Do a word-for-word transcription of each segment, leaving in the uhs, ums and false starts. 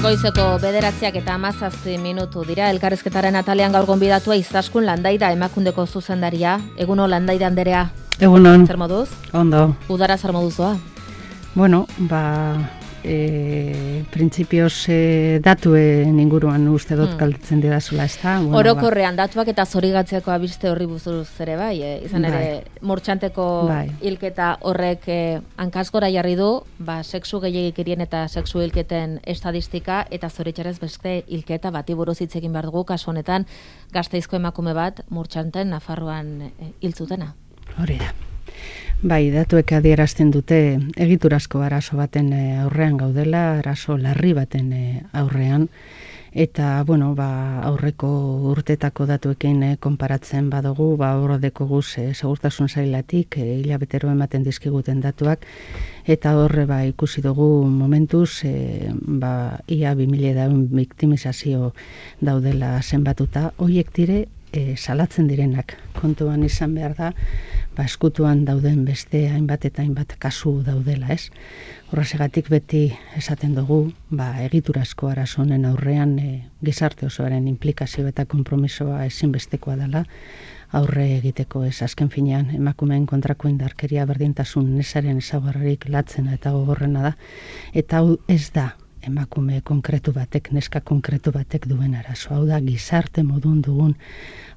Goizeko bederatziak eta hamazazpi minutu dira. Elkarrizketaren atalean gaur gonbidatua Izaskun Landaida Emakundeko zuzendaria. Eguno Landaida anderea. Egunon. Zer moduz? Ondo. Udara zer moduz doa? Bueno, ba, e, printzipioz e, datuen inguruan uste dut hmm. galdetzen didazula, ez da? Bueno, orokorrean ba. Datuak eta zorigatzeko abiste horri buzuruz ere bai, e, izan ere bai. Murtxanteko bai. Hilketa horrek e, hankazgora jarri du, ba, sexu gehiagikirien eta sexu hilketen estadistika, eta zoritxarrez beste hilketa bati buruz hitz egin behar dugu, kasu honetan Gasteizko emakume bat Murtxanten Nafarroan e, hiltzutena. Hori da. Bai, datuek adierazten dute egiturazko arazo baten aurrean gaudela, arazo larri baten aurrean, eta, bueno, ba, aurreko urtetako datuekin eh, konparatzen badugu, ba, horredeko guz eh, segurtasun zailatik, eh, hilabetero ematen dizkiguten datuak, eta horre ba, ikusi dugu momentuz, eh, ba, ia bi mila daun biktimizazio daudela zenbatuta, hoiek dire, E, salatzen direnak kontuan izan behar da, ba, eskutuan dauden beste hainbat eta hainbat kasu daudela, ez? Horregatik beti esaten dugu, ba, egiturazko arazo honen aurrean e, gizarte osoaren implikazio eta konpromisoa ezinbestekoa dela aurre egiteko, ez? Azken finean emakumeen kontrako indarkeria berdintasun nesaren ezaugarririk latzena eta gogorrena da, eta hau ez da emakume konkretu batek, neska konkretu batek duen arazo. Hau da, gizarte modun dugun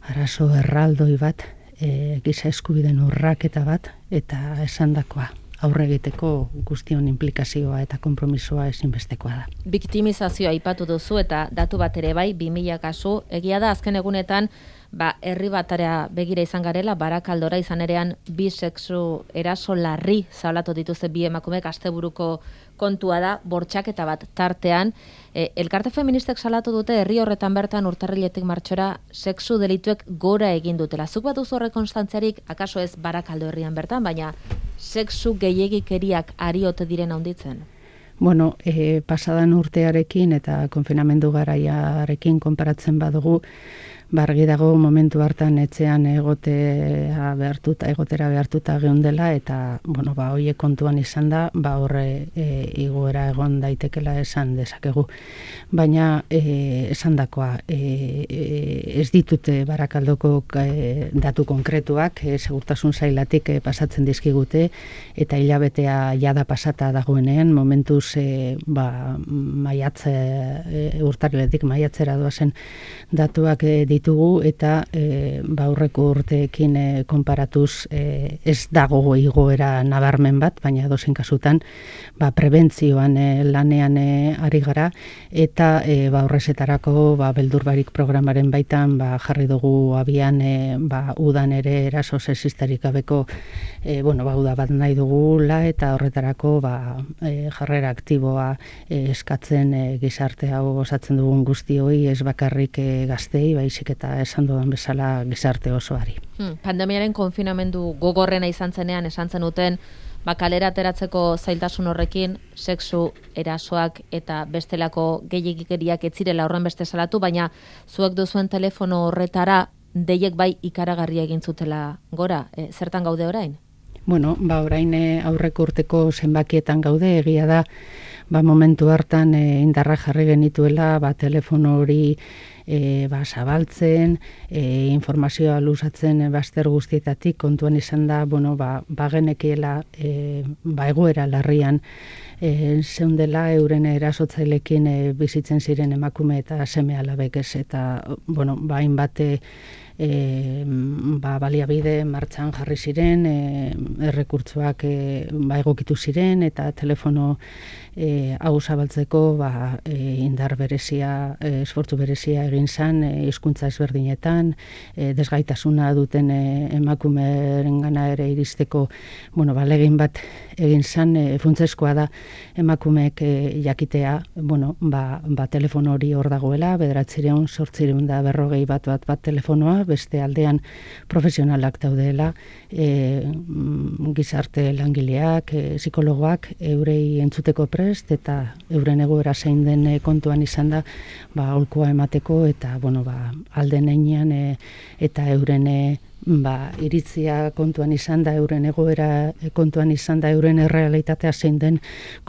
arazo erraldoi bat, e, giza eskubideen urraketa bat, eta esandakoa aurre egiteko guztion implikazioa eta konpromisoa ezinbestekoa da. Biktimizazioa aipatu duzu eta datu bat ere bai, bi mila kasu, egia da azken egunetan, ba, herri batara begira izan garela, Barakaldora izan erean bi sexu eraso larri zabalatu dituzte bi emakumek, asteburuko kontua da, bortxaketa bat tartean. E, elkarte feministek salatu dute herri horretan bertan urtarriletik martxora sexu delituek gora egin dutela. Zuk bat duzu horre konstantziarik, akaso ez Barakaldo herrian bertan, baina sexu gehiegikeriak ari ote diren handitzen? Bueno, e, pasadan urtearekin eta konfinamendu garaiarekin konparatzen badugu, bargi dago momentu hartan etxean egotea behartuta, egotera behartuta geundela, eta, bueno, ba, hoiek kontuan izan da, ba, horre e, igoera egon daitekela esan dezakegu. Baina, e, esandakoa, e, e, ez ditute Barakaldoko e, datu konkretuak, e, segurtasun zailatik e, pasatzen dizkigute, eta hilabetea jada pasata dagoenean, momentuz e, ba, maiatze, e, urtarriletik maiatzera doazen datuak e, ditugu, eta e, ba, aurreko urteekin e, konparatuz e, ez dago igoera nabarmen bat, baina dozen kasutan ba, prebentzioan e, lanean e, ari gara, eta e, ba, horrezetarako ba, beldurbarik programaren baitan ba, jarri dugu abian e, ba, udan ere eraso sexistarik gabeko e, bueno, ba, uda bat nahi dugula, eta horretarako ba, e, jarrera aktiboa e, eskatzen e, gizarte hau osatzen dugun guztioi, ez bakarrik e, gaztei, baizik eta esan dudan bezala gizarte osoari. Hmm, pandemiaren konfinamendu gogorrena izan zenean esan zenuten, ba, kalera ateratzeko zailtasun horrekin, sexu erasoak eta bestelako gehiagikeriak ez zirela horren beste salatu, baina zuek duzuen telefono horretara deiek bai ikaragarria egin zutela gora. E, zertan gaude orain? Bueno, ba, orain aurreko urteko zenbakietan gaude, egia da, ba, momentu hartan e, indarra jarri genituela, ba, telefono hori E, ba, zabaltzen, e, informazioa luzatzen e, bazter guztietatik, kontuan izan da, bueno, ba, bagenekiela e, ba, egoera larrian e, zeundela euren erasotzailekin e, bizitzen ziren emakume eta seme alabek ez, eta, bueno, ba, hainbat E, ba, baliabide martxan jarri ziren, e, errekurtzoak e, ba, egokitu ziren, eta telefono e, hau zabaltzeko ba, e, indar berezia, e, esfortzu berezia egin zan, e, hizkuntza ezberdinetan, e, desgaitasuna duten e, emakumeren gana ere iristeko, bueno, ba, legin bat egin zan, e, funtsezkoa da emakumeek e, jakitea, bueno, ba, ba, telefono hori hor dagoela, bederatzireun, sortzireun da berrogei bat bat bat telefonoa, beste aldean profesionalak daudela, e, gizarte langileak, e, psikologoak, eurei entzuteko prest, eta euren egoera zein den kontuan izan da, ba, aholkua emateko eta bueno, ba, alden heinean e, eta euren e, ba, iritzia kontuan izan da, euren egoera kontuan izan da, euren errealitatea zein den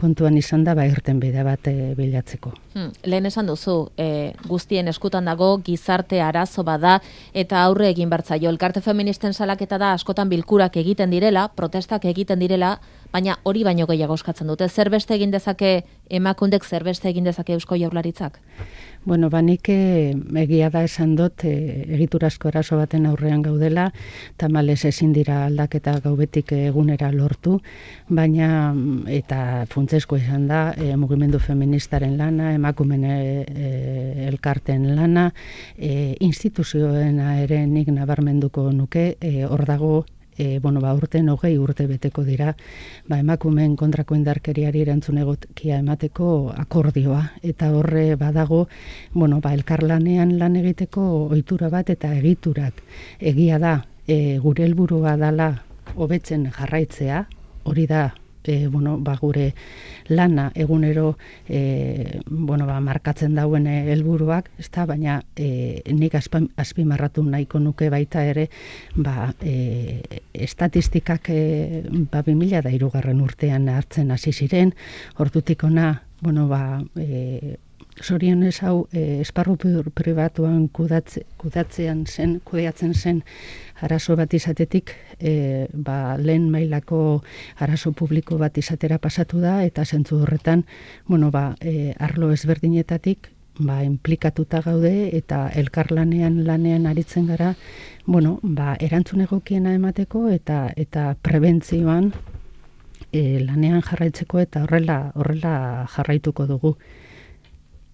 kontuan izan da, ba, irten bide bat e, bilatzeko. Hmm, lehen esan duzu, e, guztien eskutan dago, gizarte arazo bada, eta aurre egin bertzaio. Elkarte feministen salaketa da askotan bilkurak egiten direla, protestak egiten direla, baina hori baino gehiago eskatzen dute. Zer beste egin dezake emakundek, zer beste egin dezake Eusko Jaurlaritzak? Bueno, banik egia da esan dut, e, egiturazko eraso baten aurrean gaudela, tamalez ezin dira aldaketa gaubetik egunera lortu, baina eta funtsezko izan da e, mugimendu feministaren lana, emakumen e, e, elkarten lana, e, instituzioena ere nik nabarmenduko nuke, e, hor dago E, bueno, ba, urten hogei urte beteko dira, ba, emakumeen kontrako indarkeriari erantzun egokia emateko akordioa, eta horre badago, bueno, ba, elkarlanean lan egiteko ohitura bat eta egiturak. Egia da, e, gure helburua dala hobetzen jarraitzea, hori da, e, bueno, ba, gure lana egunero e, bueno, ba, markatzen dauen helburuak, ezta, baina e, nik azpimarratu nahiko nuke baita ere, ba, e, estatistikak e, ba, bi mila hirugarren urtean hartzen hasi ziren, hortutik ona, bueno, ba, e, zorionez hau e, esparru pribatuan kudatze, kudatzean zen, kudeatzen zen arazo bat izatetik, e, ba, lehen mailako arazo publiko bat izatera pasatu da, eta zentzu horretan, bueno, ba, e, arlo ezberdinetatik, ba, implikatuta gaude, eta elkarlanean lanean aritzen gara, bueno, ba, erantzun egokiena emateko, eta eta prebentzioan e, lanean jarraitzeko, eta horrela, horrela jarraituko dugu.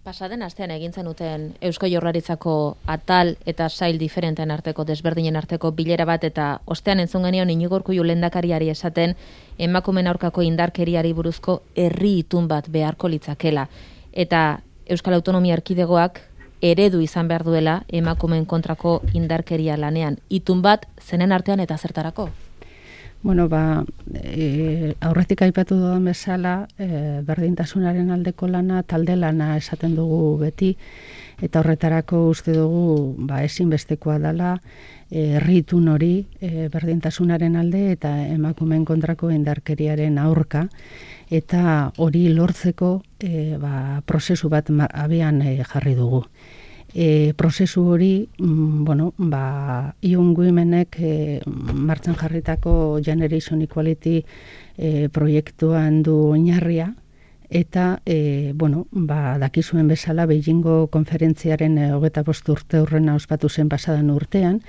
Pasaden astean egin zenuten Eusko Jaurlaritzako atal eta sail diferenten arteko, desberdinen arteko bilera bat, eta ostean entzun genion Iñigo Urkullu lehendakariari esaten emakumeen aurkako indarkeriari buruzko herri itun bat beharko litzakela. Eta Euskal Autonomia Erkidegoak eredu izan behar duela emakumeen kontrako indarkeria lanean. Itun bat zenen artean eta zertarako? Bueno, ba, e, aurretik aipatu dudan bezala, e, berdintasunaren aldeko lana, talde lana esaten dugu beti, eta horretarako uste dugu ba, ezinbestekoa dela, herritun hori e, berdintasunaren alde eta emakumeen kontrako indarkeriaren aurka, eta hori lortzeko e, ba, prozesu bat abian e, jarri dugu. E, prozesu hori, mm, bueno, ba, Young Womenek e, martxan jarritako Generation Equality e, proiektuan du oinarria, eta, e, bueno, ba, dakizuen bezala Beijingo konferentziaren e, hogeita bost urte horrena ospatu zen pasadan urtean,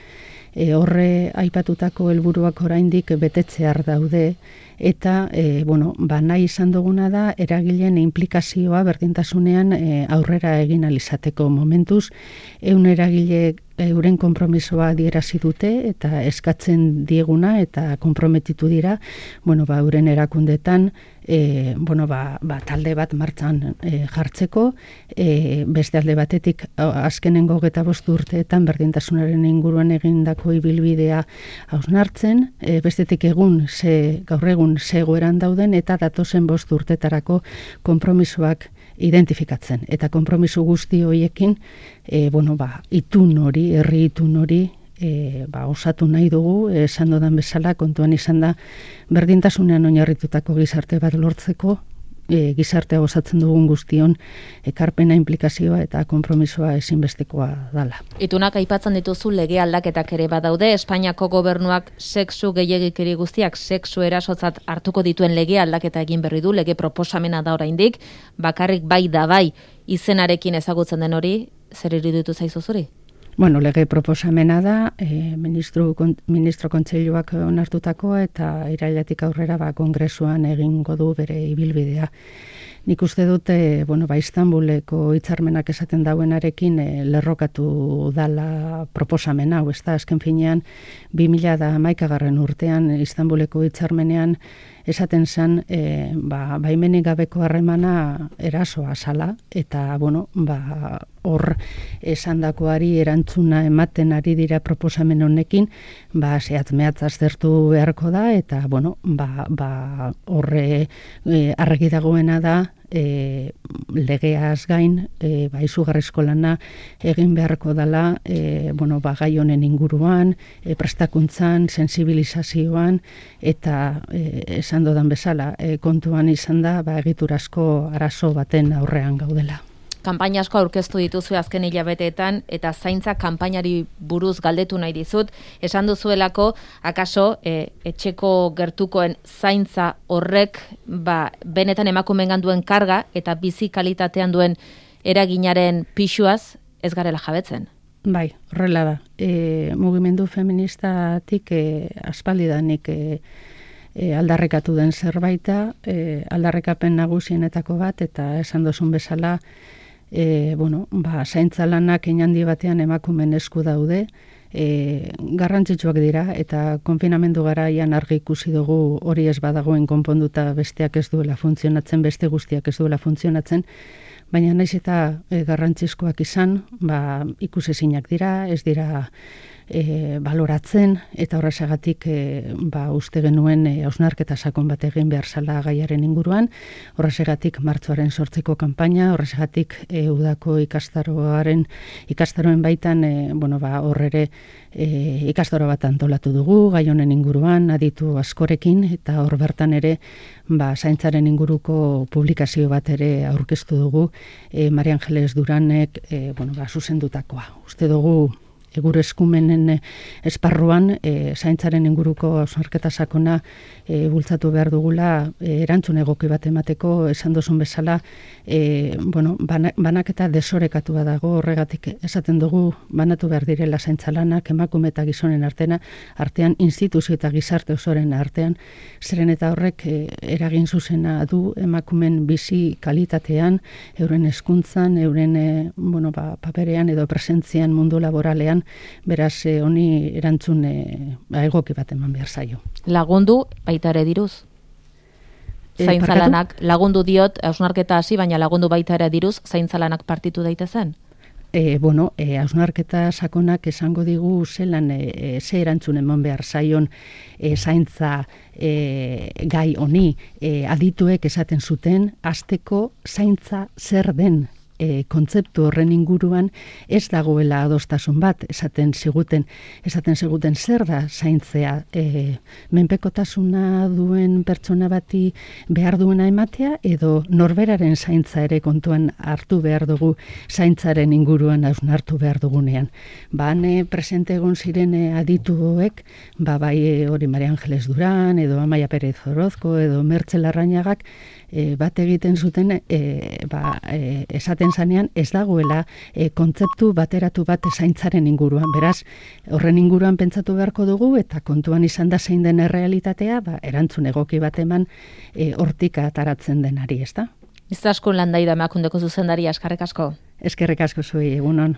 e, horre aipatutako helburuak oraindik betetzear daude, eta e, bueno, ba, nahi izan duguna da eragileen inplikazioa berdintasunean e, aurrera egin alizateko momentuz, eun eragile euren konpromisoa adierazi dute eta eskatzen dieguna eta konprometitu dira, bueno, ba, euren erakundetan e, bueno, ba, ba, talde bat martxan e, jartzeko, e, beste alde batetik azkenengo hogeita bost urteetan berdintasunaren inguruan egindako ibilbidea hausnartzen, e, bestetik egun ze, gaur egun ze egoeran dauden eta datozen bost urtetarako konpromisoak identifikatzen. Eta konpromiso guzti horiekin, e, bueno, ba, itun hori, herri itun hori, e, ba, osatu nahi dugu, esan dodan bezala, kontuan izan da, berdintasunean oinarritutako gizarte bat lortzeko, e, gizartea osatzen dugun guztion ekarpena, implikazioa eta konpromisoa ezinbestekoa dala. Itunak aipatzen dituzu lege aldaketak ere badaude, Espainiako gobernuak sexu gehiegikeri guztiak sexu erasotzat hartuko dituen lege aldaketa egin berri du, lege proposamena da oraindik, bakarrik bai da bai izenarekin ezagutzen den hori, zer iruditu zaizu zuri? Bueno, lege proposamena da, e, ministro, kon, ministro kontseiluak onartutakoa eta irailetik aurrera ba, kongresuan egingo du bere ibilbidea. Nik uste dute, bueno, ba, Istanbuleko hitzarmenak esaten dauenarekin e, lerrokatu dala proposamena, hau ez da, azken finean, bi mila hamaikagarren urtean Istanbuleko hitzarmenean esaten zen, e, ba, baimenik gabeko harremana erasoa zala, eta, bueno, ba, hor esandakoari erantzuna ematen ari dira proposamen honekin, ba, zehatz mehatz aztertu beharko da, eta, bueno, ba, ba, horre e, argi dagoena da, e, legeaz gain, e, ba, izugarrizko lana egin beharko dela, e, bueno, ba, gai honen inguruan, e, prestakuntzan, sensibilizazioan, eta e, esan dodan bezala, e, kontuan izan da, ba, egiturazko arazo baten aurrean gaudela. Kanpaina asko aurkeztu dituzu azken hilabeteetan eta zaintza kanpainari buruz galdetu nahi dizut. Esan duzuelako, akaso, e, etxeko gertukoen zaintza horrek ba, benetan emakumeengan duen karga eta bizi kalitatean duen eraginaren pisuaz ez garela jabetzen. Bai, horrela da. E, mugimendu feministatik e, aspaldidanik e, e, aldarrekatu den zerbaita, e, aldarrekapen nagusienetako bat, eta esan dozun bezala, E, bueno, ba, zaintza lanak inhandi batean emakumen esku daude, e, garrantzitsuak dira, eta konfinamendu garaian argi ikusi dugu hori ez badagoen konponduta besteak ez duela funtzionatzen, beste guztiak ez duela funtzionatzen, baina naiz eta e, garrantzizkoak izan, ba, ikusezinak dira, ez dira e, baloratzen, eta horrezagatik e, ba, uste genuen e, hausnarketa sakon bat egin behar zala gaiaren inguruan, horrezagatik martxoaren sortzeko kanpaina, horrezagatik e, udako ikastaroaren ikastaroen baitan e, bueno, ba, horrere e, ikastaro bat antolatu dugu, gai honen inguruan, aditu askorekin, eta hor bertan ere ba, zaintzaren inguruko publikazio bat ere aurkeztu dugu, e, Maria Angeles Duranek e, bueno, ba, zuzendutakoa. Uste dugu e, gure eskumenen esparruan e, zaintzaren inguruko hausnarketa sakona e, bultzatu behar dugula e, erantzun egoki bat emateko, esan dozun bezala, e, bueno, bana, banaketa desorekatua dago, horregatik esaten dugu banatu behar direla zaintza lanak emakume eta gizonen artean, artean instituzio eta gizarte osoren artean, zeren eta horrek e, eragin zuzena du emakumen bizi kalitatean, euren hezkuntzan, euren e, bueno, ba, paperean edo presentzian mundu laboralean, beraz e, honi erantzun e, ba, egoki bat eman behar zaio. Lagundu baita ere diruz? Zaintzalanak lagundu diot, hausnarketa hasi, baina lagundu baita ere diruz, zaintzalanak partitu daitezen? E, bueno, e, hausnarketa sakonak esango digu zelan e, ze erantzun eman behar zaion e, zaintza e, gai honi, e, adituek esaten zuten, hasteko zaintza zer den. E, kontzeptu horren inguruan ez dagoela adostasun bat, esaten ziguten, esaten ziguten zer da zaintzea, e, menpekotasuna duen pertsona bati behar duena ematea, edo norberaren zaintza ere kontuan hartu behar dugu zaintzaren inguruan hausnartu behar dugunean. Ba, hane presente egon ziren adituek, ba, bai hori Maria Angeles Duran, edo Amaia Perez Orozko, edo Mertxe Larrañagak, E, bat egiten zuten e, ba, e, esaten zanean ez dagoela e, kontzeptu bateratu bat zaintzaren inguruan. Beraz, horren inguruan pentsatu beharko dugu eta kontuan izan da zein den errealitatea, ba, erantzun egoki bat eman e, hortik ataratzen denari, ezta? Izaskun Landaida Emakundeko zuzendari, eskerrik asko. Eskerrik asko zuei, egunon.